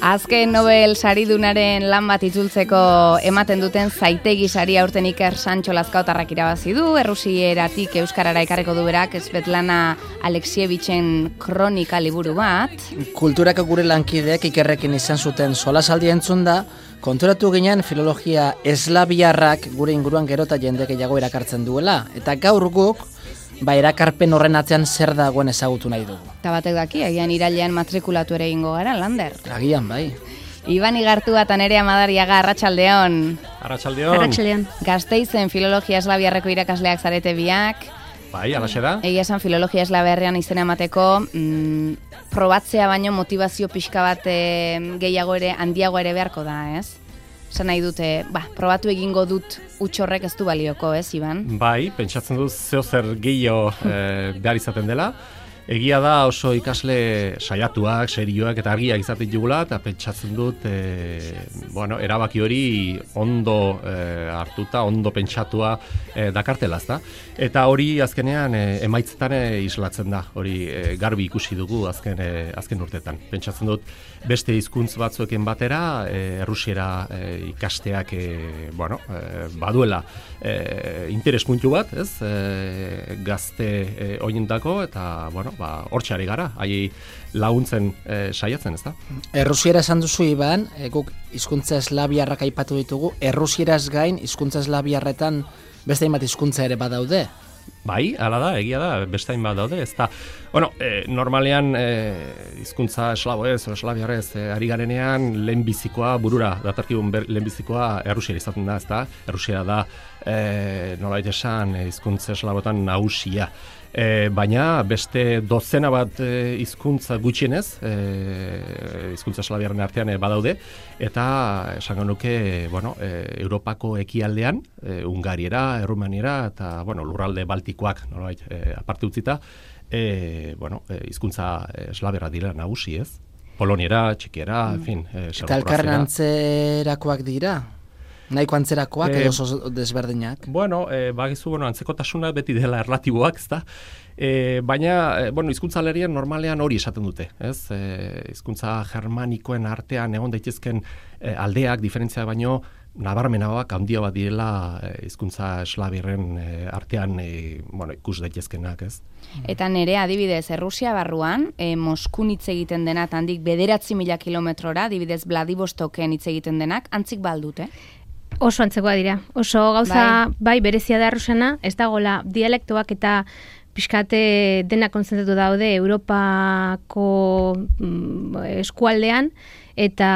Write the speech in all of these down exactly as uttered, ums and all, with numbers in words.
Azken Nobel saridunaren lan bat itzultzeko ematen duten zaitegi sari aurten Iker Santxo Lazkaotarrak irabazi du, errusieratik euskarara ekarriko du berak, Svetlana Alexievitzen kronika liburu bat. Kulturako gure lankideek Ikerrekin izan zuten solasaldia entzun da, konturatu ginen filologia eslabiarrak gure inguruan gero eta jende gehiago erakartzen duela, eta gaur guk ba erakarpen horren atzean zer dagoen ezagutu nahi dugu. Eta batek daki, agian irailean matrikulatu ere egingo gara, Lander. Agian, bai. Iban Igartua eta Nerea Madariaga, arratsaldeon. Arratsaldeon. Arratsaldeon. Gasteizen filologia eslabiarreko irakasleak zarete biak. Bai, alaxe da. Egia esan filologia eslabiarrean izena emateko, mm, probatzea baino motivazio pixka bat e, gehiago ere, handiago ere beharko da, ez? Esan nahi dute, ba, probatu egingo dut utxorrek ez du balioko, ez, Iban? Bai, pentsatzen dut zeo zer gehiago e, behar izaten dela. Egia da oso ikasle saiatuak, serioak eta argiak izaten jugula, eta pentsatzen dut, e, bueno, erabaki hori ondo e, hartuta, ondo pentsatua e, dakartela, ezta? Eta hori azkenean e, emaitzetan e, islatzen da, hori e, garbi ikusi dugu azken, e, azken urtetan. Pentsatzen dut beste hizkuntz batzuekin batera, e, errusiera e, ikasteak e, bueno, e, baduela e, interes puntu bat, ez? E, gazte e, oientako, eta, bueno, ba, hortxeari gara, haiei laguntzen e, saiatzen, ezta? Errusiera esan duzu, Iban, e, guk hizkuntza eslabiarrak aipatu ditugu, errusieraz gain hizkuntza eslabiarretan beste hainbat hizkuntza ere badaude. Bai, hala da, egia da, beste hainbat daude, ez da, bueno, e, normalean e, hizkuntza eslavoez o eslabiarrez e, ari garenean lehenbizikoa burura datorkigun lehenbizikoa errusiera izaten da, ez da, errusiera da, e, nolabait esan, hizkuntza eslavotan nagusia. E, baina beste dozena bat e, hizkuntza gutxienez, e, hizkuntza eslabiarren artean e, badaude, eta esango nuke, bueno, e, Europako ekialdean, e, Ungariera, Errumaniera, eta, bueno, lurralde baltikoak, nolabait, e, aparte utzita, e, bueno, e, hizkuntza eslabiarra dira nagusi, ez? Poloniera, txekiera, en fin, e, eta elkarren antzerakoak dira? Nahiko antzerakoak edo oso desberdinak? Bueno, e, bagizu, bueno, antzekotasuna beti dela erlatiboak, ezta? E, baina, e, bueno, hizkuntza lerien normalean hori esaten dute, ez? E, hizkuntza germanikoen artean egon daitezken e, aldeak, diferentziak baino, nabarmenagoak handia bat direla hizkuntza eslabirren e, artean e, bueno, ikus daitezkenak, ez? Eta nere adibidez, Errusia barruan, e, Moskun hitz egiten dena, handik bederatzi mila kilometrora, adibidez Vladivostoken hitz egiten denak, antzik baldute? Oso antzekoa dira. Oso gauza, bai, bai berezia da Errusena, ez dagoela dialektoak eta pixkate dena kontzentratu daude Europako mm, eskualdean, eta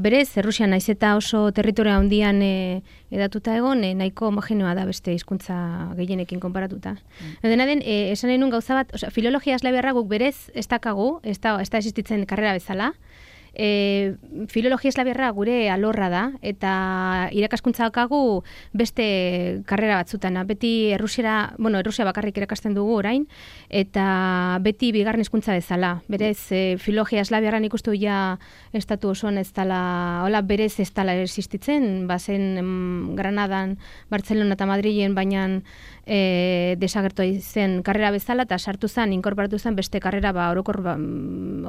berez, Errusia naiz eta oso territorio handian e, edatuta egon, e, nahiko homogeneoa da beste hizkuntza gehienekin konparatuta. Mm. Dena den, e, esan nahi nun gauza bat, osea, filologia eslabiarra guk berez ez dakagu, ez da, ez da existitzen karrera bezala. E, filologia eslabiarra gure alorra da, eta irakaskuntza daukagu beste karrera batzutan. Beti errusiera, bueno, errusia bakarrik irakasten dugu orain, eta beti bigarren hizkuntza bezala. Berez, e, filologia eslabiarran ikustu ja estatu osoan ez dala, hola berez ez dala existitzen, bazen em, Granadan, Bartzelona eta Madrilen, baina e, desagertu zen karrera bezala, eta sartu zen, inkorporatu zen beste karrera ba, orokor, ba,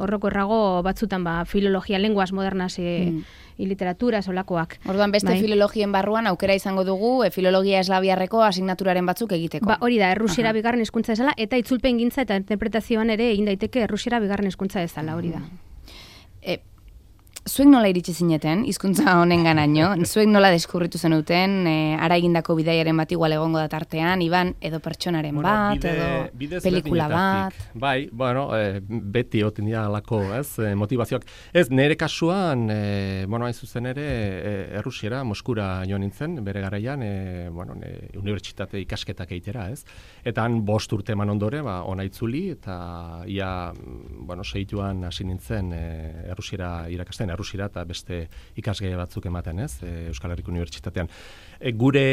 orokorrago batzutan ba, filologia, lenguas modernas e, mm. y literatura solakoak. Orduan beste bai. Filologien barruan aukera izango dugu e, filologia eslabiarreko asignaturaren batzuk egiteko. Ba, hori da, errusiera bigarren hizkuntza bezala, eta itzulpen gintza eta interpretazioan ere egin daiteke errusiera bigarren hizkuntza bezala, hori da. E, Zuek nola iritsi zineten, hizkuntza honen ganaino? Zuek nola deskubritu zenuten, e, ara egindako bidaiaren bat igual egongo da tartean, Iban, edo pertsonaren bueno, bat, bide, edo pelikula bat? Bai, bueno, e, beti oten dira alako, ez, e, motivazioak. Ez, nire kasuan, e, bueno, hain zuzen ere, e, errusiera, Moskura joan nintzen, bere garaian, e, bueno, e, unibertsitate ikasketak egitera, ez? Eta han bost urte eman ondore, ba, ona itzuli, eta ia, bueno, segituan hasi nintzen e, errusiera irakasten, errusiera eta beste ikasgai batzuk ematen, ez, e, Euskal Herriko Unibertsitatean. E, gure,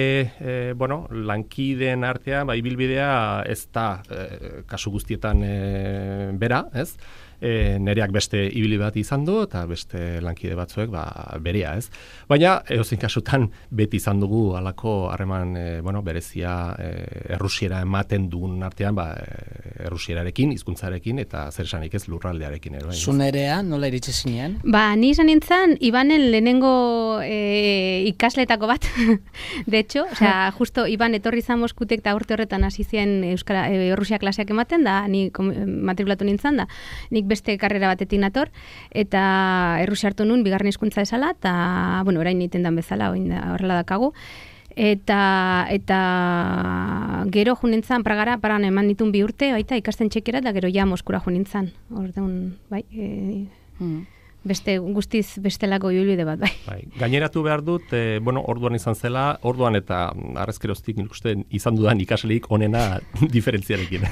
e, bueno, lankideen artean, ba, ibilbidea ez da e, kasu guztietan e, bera, ez? E, nereak beste ibili bat izan du, eta beste lankide batzuek ba, berea, ez? Baina, edozein kasutan, beti izan dugu halako harreman e, bueno, berezia e, errusiera ematen duen artean, ba, e, errusierarekin, hizkuntzarekin eta zer esanik ez lurraldearekin. Ere, Zu nerea, nola iritsi zinean? Ba, ni izan nintzen, Ibanen lehenengo e, ikasletako bat, de hecho, osea, justo Iban etorri izan Moskutek eta urte horretan hasi zien Euskara, e, Errusia klaseak ematen, da, ni matrikulatu nintzen, da, nik beste karrera batetik nator, eta Errusia hartu nun, bigarren hizkuntza esala, eta, bueno, orain egiten dan bezala, horrela dakagu, eta eta gero junintzan Pragara, paran eman ditun bi urte, baita ikasten txekera, eta gero ja Moskura junintzan, ordeun, bai, e, mm. beste guztiz bestelako ibilbide bat, bai. bai. Gaineratu behar dut, e, bueno, orduan izan zela, orduan eta arrezkeroztik ikuste izan dudan ikasleik onena diferentziarekin.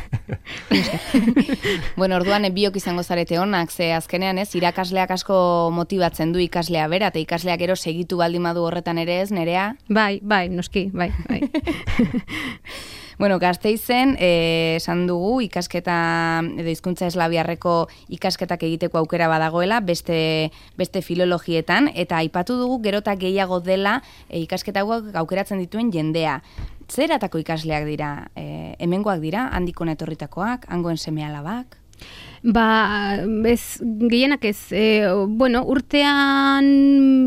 Bueno, orduan biok izango zarete onak, ze azkenean ez, irakasleak asko motibatzen du ikaslea bera, eta ikasleak gero segitu baldin badu horretan ere ez, Nerea? Bai, bai, noski, bai, bai. Bueno, Gasteizen, eh, esan dugu, ikasketa, edo hizkuntza eslaviarreko ikasketak egiteko aukera badagoela, beste, beste filologietan, eta aipatu dugu gerota gehiago dela e, ikasketa hauek aukeratzen dituen jendea. Zeratako ikasleak dira? E, hemengoak dira, handiko etorritakoak, hangoen seme-alabak? Ba, ez, gehienak ez, e, bueno, urtean,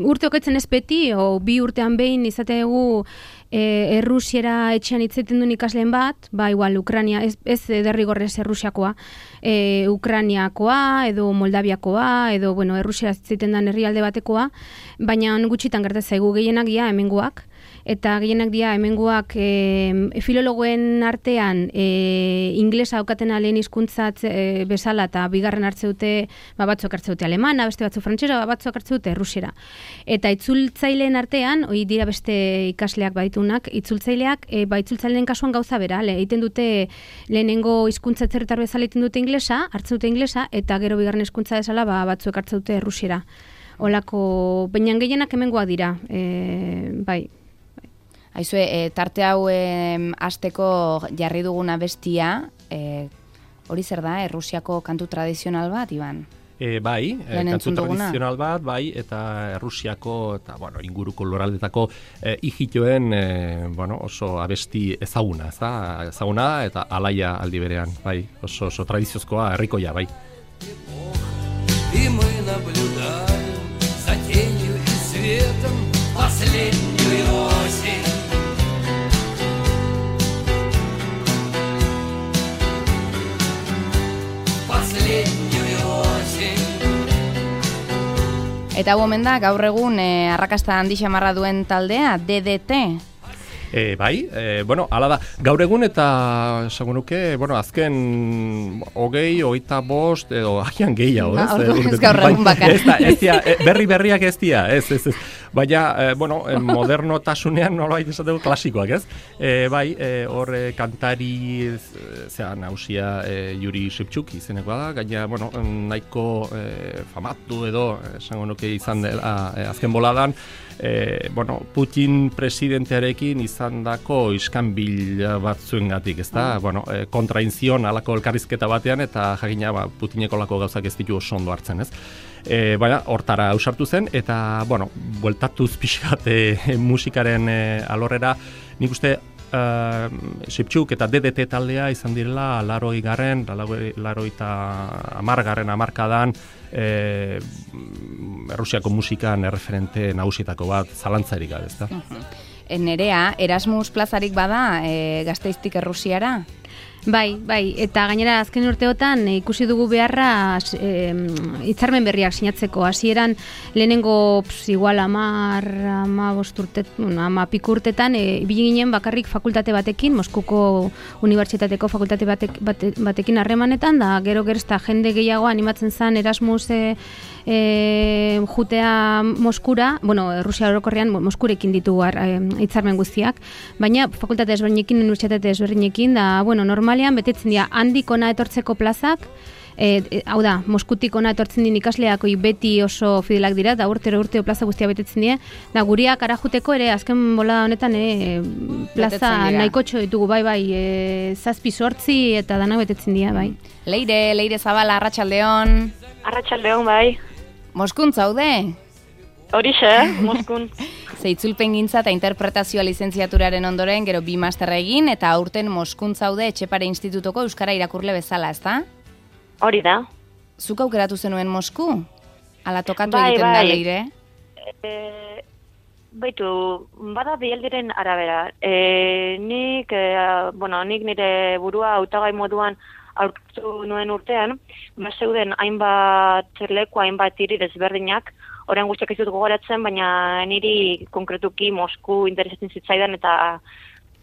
urte oketzen ez beti, o bi urtean behin izategu e, errusiera etxean itzeten duen ikasleen bat, ba, igual, Ukrania, ez, ez derrigorrez errusiakoa, e, Ukraniakoa, edo Moldaviakoa, edo, bueno, errusiera itzeten den herrialde batekoa, baina gutxitan gertatzen zaigu gehienak dira hemengoak, eta gehienak dira hemengoak e, filologoen artean e, inglesa daukatena lehen hizkuntzat e, bezala eta bigarren hartze dute, ba, batzuk hartze dute alemana, beste batzuk frantsesa, ba, batzuk hartze dute errusiera. Eta itzultzaileen artean, hori dira beste ikasleak baditunak, itzultzaileak, e, ba, itzultzaileen kasuan gauza bera, le, egiten dute lehenengo hizkuntza atzerritar bezala egiten dute inglesa, hartze dute inglesa, eta gero bigarren hizkuntza bezala, ba, batzuk hartze dute errusiera. Olako, baina gehienak hemengoak dira, e, bai. Aizue, e, tarte hau e, hasteko jarri duguna bestia, e, hori zer da, Errusiako kantu tradizional bat, Iban? E, bai, e, kantu tradizional bat, bai, eta Errusiako, eta, bueno, inguruko loraldetako e, hijitoen, e, bueno, oso abesti ezaguna, ez da, ezaguna, eta alaia aldi berean, bai, oso, oso tradiziozkoa, herrikoia, bai. И мы наблюдаем за тенью и светом последнюю осень. Eta hau omen da, gaur egun e, arrakasta handi xamarra duen taldea, D D T. E, bai, e, bueno, ala da, gaur egun eta esango nuke, bueno, azken hogei, hogeita bost, edo agian gehiago, ez? Ah, ez gaur egun bakar. Ez da, ez dia, berri berriak ez dia, ez, ez, ez. Baina, e, bueno, modernotasunean nolabait esateko klasikoak, ez? E, bai, hor e, kantari, zera, nausia e, Yuri Shevchuk izenekoa da, gaina, bueno, nahiko e, famatu edo, esango nuke izan dela, e, azken boladan, E, bueno, Putin presidentearekin izandako iskanbil batzuengatik, ezta? Bueno, e, kontrainzion alako elkarrizketa batean eta jakina ba, Putineko lako gauzak ez ditu oso ondo hartzen, ez? E, baina, hortara ausartu zen eta, bueno, bueltatuz pixkat e, musikaren e, alorrera, nik uste Uh, Shevchuk eta D D T taldea izan direla laroi garren, laroi eta amar garren amarkadan e, Errusiako musikan erreferente nagusietako bat zalantzarik gabe, ezta? Uh-huh. Nerea, Erasmus plazarik bada e, Gasteiztik Errusiara? Bai, bai, eta gainera azken urteotan e, ikusi dugu beharra e, hitzarmen berriak sinatzeko. Hasieran lehenengo ps, igual amar, ama bosturtet, bueno, ama pikurtetan, e, ibili ginen bakarrik fakultate batekin, Moskuko Unibertsitateko fakultate batek, bate, batekin harremanetan, da gero gerozta jende gehiago animatzen zen Erasmus e, e, jutea Moskura, bueno, Rusia orokorrean Moskurekin ditu hitzarmen guztiak, baina fakultate ezberdinekin, unibertsitate ezberdinekin, da, bueno, normalean betetzen dira handikona etortzeko plazak, E, e, hau da, Moskutik ona etortzen din ikasleak oi beti oso fidelak dira, da urtero urteo plaza guztia betetzen dira, da guriak arajuteko ere, azken bola honetan ere, plaza nahiko txo ditugu, bai, bai, e, zazpi sortzi eta dana betetzen dira, bai. Leire, Leire Zabala, Arratsaldeon. Arratsaldeon, bai. Moskun zaude? Horixe, Moskun. Zeitzulpen gintza eta interpretazioa lizentziaturaren ondoren, gero bi masterra egin, eta aurten Moskun zaude Etxepare Institutoko Euskara irakurle bezala, ezta? Hori da. Zuk aukeratu zenuen Mosku? Ala tokatu bai, egiten bai. da, Leire? E, baitu, bada bialdiren arabera. E, nik, e, bueno, nik nire burua hautagai moduan aurkitu nuen urtean, bazeuden hainbat leku, hainbat hiri desberdinak, orain guztiak ez dut gogoratzen, baina niri konkretuki Mosku interesatzen zitzaidan eta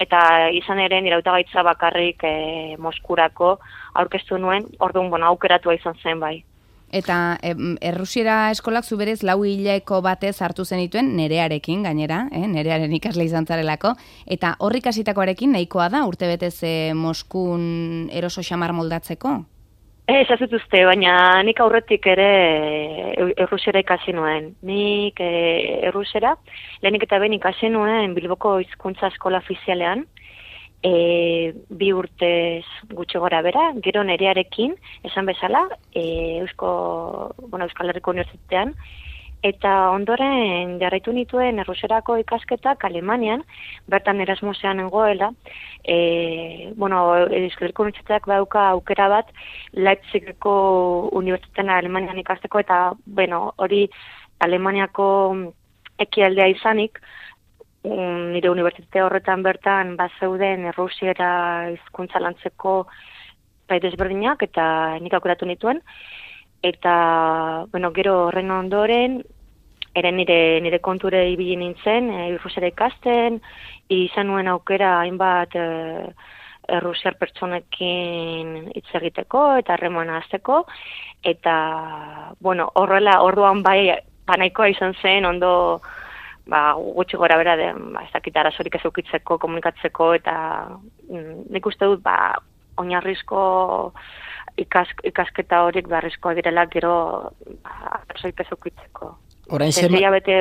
eta izan ere nire hautagaitza bakarrik e, Moskurako aurkeztu nuen, orduan bueno, aukeratua izan zen bai. Eta e, errusiera eskolak zu berez lau hileko batez hartu zenituen nerearekin gainera, eh? Nerearen ikasle izan zarelako, eta horrik hasitakoarekin nahikoa da urtebetez e, Moskun eroso xamar moldatzeko? Ez, ez dut uste, baina nik aurretik ere errusiera ikasi nuen. Nik e, errusiera, lehenik eta behin ikasi nuen Bilboko hizkuntza eskola ofizialean, e, bi urtez gutxi gora bera, gero nerearekin, esan bezala, e, Eusko, bueno, Euskal Herriko Unibertsitatean, eta ondoren jarraitu nituen erruserako ikasketak Alemanian, bertan Erasmusean nengoela, e, bueno, Euskal Herriko Unibertsitateak badauka aukera bat Leipzigeko Unibertsitatean Alemanian ikasteko, eta, bueno, hori Alemaniako ekialdea izanik, um, nire unibertsitate horretan bertan bazeuden errusiera hizkuntza lantzeko gai desberdinak, eta nik aukeratu nituen, eta, bueno, gero horren ondoren, ere nire, nire konture ibili nintzen, e, errusiera ikasten, izan nuen aukera hainbat e, errusiar pertsonekin hitz egiteko eta harremana hasteko, eta, bueno, horrela, orduan bai, panaikoa izan zen, ondo, ba, gutxi gora bera, de, ba, ez dakit arazorik ez eukitzeko, komunikatzeko, eta mm, nik uste dut, ba, oinarrizko ikas, ikasketa horiek beharrizkoa direla gero ba, arazorik ez eukitzeko. Orain ze, bete,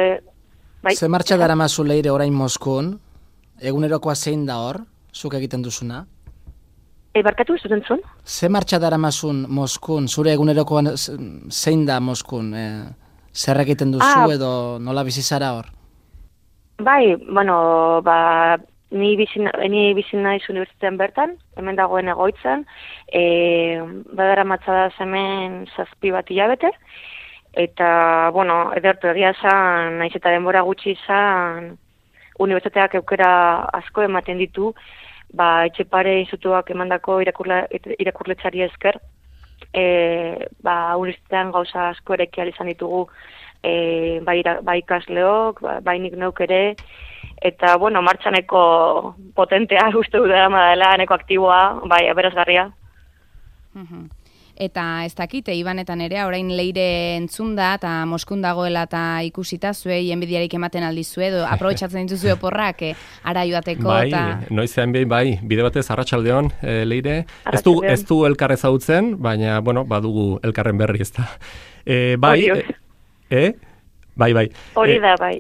bai? ze martxa daramazu Leire orain Moskun, egunerokoa zein da hor, zuk egiten duzuna? E, barkatu ez dut entzun? Ze martxa daramazun Moskun, zure egunerokoan zein da Moskun? E, zer egiten duzu ah, edo nola bizizara hor? Bai, bueno, ba, ni bizin, ni bizin naiz unibertsitatean bertan, hemen dagoen egoitzan, e, badara matzada hemen zazpi bat hilabete, eta, bueno, edertu egia zan, naiz eta denbora gutxi izan, unibertsitateak eukera asko ematen ditu, ba, Etxepare Institutuak emandako irakurla, irakurletzari esker, e, ba, unibertsitatean gauza asko ereki ahal izan ditugu, e, bai, bai ikasleok, bai nik neuk ere, eta, bueno, martxaneko potentea uste dut dela, neko aktiboa, bai, aberasgarria. Uh-huh. Eta ez dakite, Ibanetan ere, orain Leire entzunda, eta Moskun dagoela eta ikusita zuei enbidiarik ematen aldizue, edo aprobetxatzen dituzue oporrak, eh, ara joateko. Bai, ta... noizean behin, bai, bide batez Arratsaldeon, eh, Leire. Ez du, ez du elkar ezagutzen, baina, bueno, badugu elkarren berri, ez da. Eh, bai, eh, eh? Bai, bai. Hori da, bai.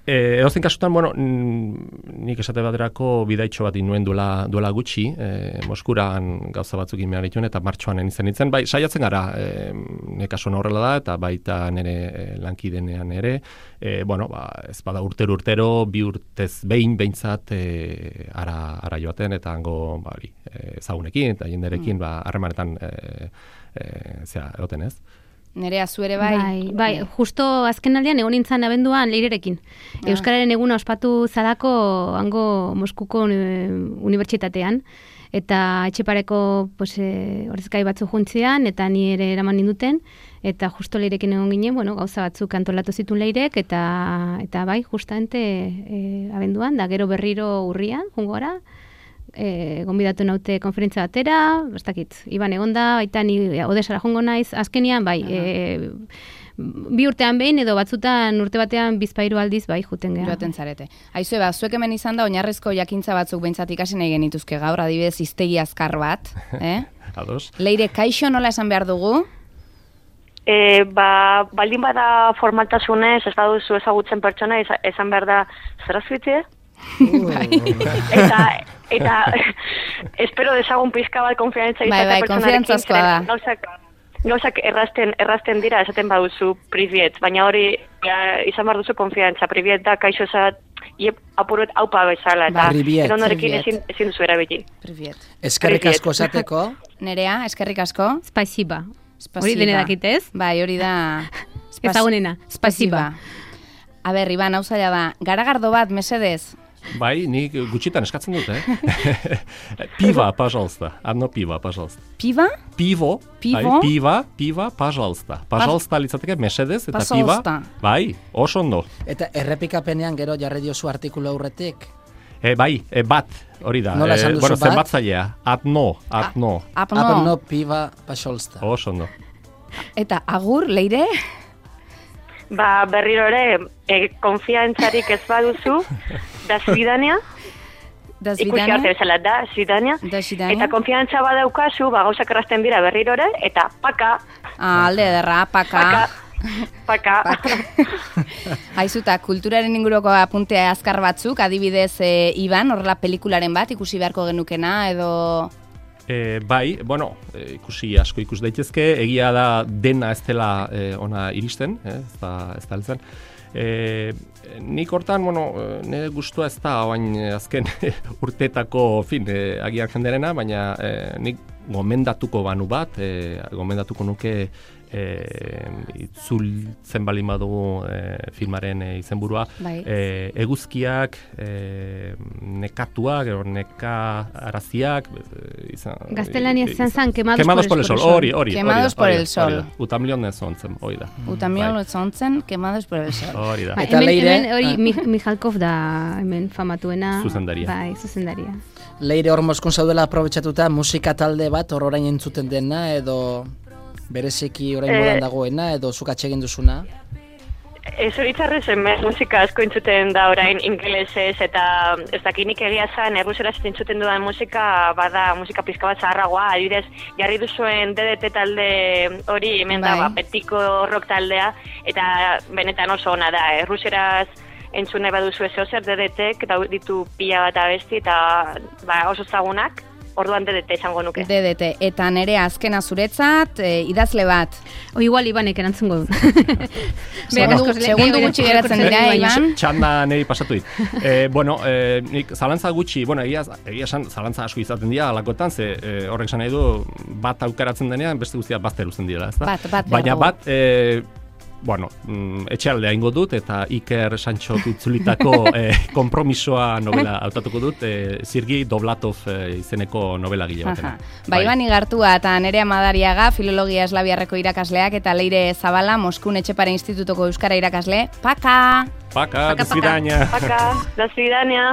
E, Edozein kasutan, bueno, nik esate baterako bidaitxo bat inuen duela, duela gutxi, e, Moskuran gauza batzuk inmean dituen, eta martxoan nintzen nintzen, bai, saiatzen gara, e, nire kasuan horrela da, eta baita nire e, lankidenean ere, e, bueno, ba, ez bada urtero urtero, bi urtez behin, behintzat, e, ara, ara joaten, eta hango, bari, e, ezagunekin, eta jenderekin, ba, harremanetan, e, e, zera, egoten ez. Nerea zuere bai? Bai, bai, justo azken aldean egon nintzen abenduan Leirerekin. Ah. Euskararen eguna ospatu zadako hango Moskuko unibertsitatean, eta Etxepareko pues, e, ordezkari batzu juntzian, eta ni ere eraman ninduten, eta justo Leirekin egon ginen, bueno, gauza batzuk antolatu zituen Leirek, eta, eta bai, justamente e, abenduan, da gero berriro urrian, jungora, E, gonbidatu naute konferentzia batera, ez dakit, Iban egonda, baita ni Odesara jongo naiz, azkenian, bai, e, bi urtean behin edo batzutan urte batean bizpairu aldiz bai juten geha. Joaten zarete. Aizu, ba, zuek hemen izan da, oinarrizko jakintza batzuk behintzat ikasi nahi genituzke gaur, adibidez hiztegi azkar bat, eh? Ados. Leire, kaixo nola esan behar dugu? E, ba, baldin bada formaltasunez, ez baduzu ezagutzen pertsona, eza- esan behar da, zera zuite? eta, eta, espero desagun pizka bat konfiantza Bai, bai, konfiantzazkoa da. Gauzak, gauzak errazten, errazten dira, esaten baduzu priviet, baina hori ja, izan behar duzu konfiantza, priviet da, kaixo esat, iep, apuruet haupa bezala, eta Priviet. edonorekin Priviet. ezin, ezin duzu erabili. Priviet. Eskerrik asko esateko. Nerea, eskerrik asko. Spasiba. Spasiba. Hori dene dakitez? Bai, hori da... Spas- Ezagunena, spasiba. A ber, Iban, hau zaila da. Garagardo bat, mesedez. Bai, nik gutxitan eskatzen dut, eh? Piva, пожалуйста. Одно пиво, пожалуйста. Piba? Pivo, Pivo? bai, piva, piva, пожалуйста. Пожалуйста litzateke mesedez eta piva. Пожалуйста. Bai, oso ondo. Eta errepikapenean gero jarri diozu artikulu aurretik. E, bai, e, bat, hori da. Nola esan duzu bueno, bat? zenbatzailea. Atno, atno. Apno. Apno piba pasolsta. Oso ondo. Eta agur, Leire? Ba, berriro ere, e, konfiantzarik ez baduzu, da zidania, Da ikusi arte zbidania? bezala, da zidania, Da zbidania? eta konfiantza badaukazu, ba, gauzak errazten dira berriro ere, eta paka, Ah, alde ederra, paka. paka, paka. Aizuta, kulturaren inguruko apuntea azkar batzuk, adibidez, e, Iban, horrela pelikularen bat, ikusi beharko genukena, edo... E, bai, bueno, e, ikusi asko ikus daitezke, egia da dena ez dela e, ona iristen, eh, ez da, ez da heltzen. E, nik hortan, bueno, nire gustua ez da, bain azken urtetako, fin, e, agian jenderena, baina e, nik gomendatuko banu bat, e, gomendatuko nuke e, itzultzen balin badugu e, filmaren e, izenburua, Bai. e, eguzkiak, e, nekatuak, ero neka araziak, e, izan... Gaztelania izan zan, quemados, Quemados por el sol, hori, hori. Quemados hori da, por el hori da, sol. hori da. Utamilion ez ontzen, hori da. Utamion Bai. lotzontzen, quemados por el sol. Hori da. Ba, Eta hemen, Leire, hemen hori ah. Mi- Mijalkov da hemen famatuena. Zuzendaria. Bai, zuzendaria. Leire hor Moskun zaudela aprobetxatuta musika talde bat hor orain entzuten dena edo bereziki orain Eh. modan dagoena edo zuk atsegin duzuna. Ez horitzarrez hemen musika asko entzuten da orain ingelesez eta ez dakinik egia zan erruseraz entzuten dudan musika bada musika pizka bat zaharragoa, adibidez jarri duzuen D D T talde hori hemen da Bai. ba, betiko rock taldea eta benetan oso ona da, erruseraz entzune baduzu ez zer D D T eta ditu pila bat abesti eta ba, oso zagunak, orduan D D T esango nuke. D D T. Eta nere azkena zuretzat, e, idazle bat. O igual Ibanek erantzungo du. Segundu, segundu gutxi geratzen dira, Iban. Txanda niri pasatu dit. E, bueno, e, nik zalantza gutxi, bueno, egia, egia esan zalantza asko izaten dira alakotan, ze e, horrek esan nahi du bat aukeratzen denean, beste guztiak bazter uzten dira, ezta? Bat, bat behar Baina dugu. bat, e, bueno, mm, etxealdea ingo dut, eta Iker Sancho itzulitako e, kompromisoa novela hautatuko dut, e, Zirgi Doblatov e, izeneko novela gile batena. Aha. Ba, Iban Igartua eta Nerea Madariaga, filologia eslabiarreko irakasleak, eta Leire Zabala, Moskun Etxepare Institutuko Euskara irakasle. Paka! Paka, desbidania! Paka, da zidania.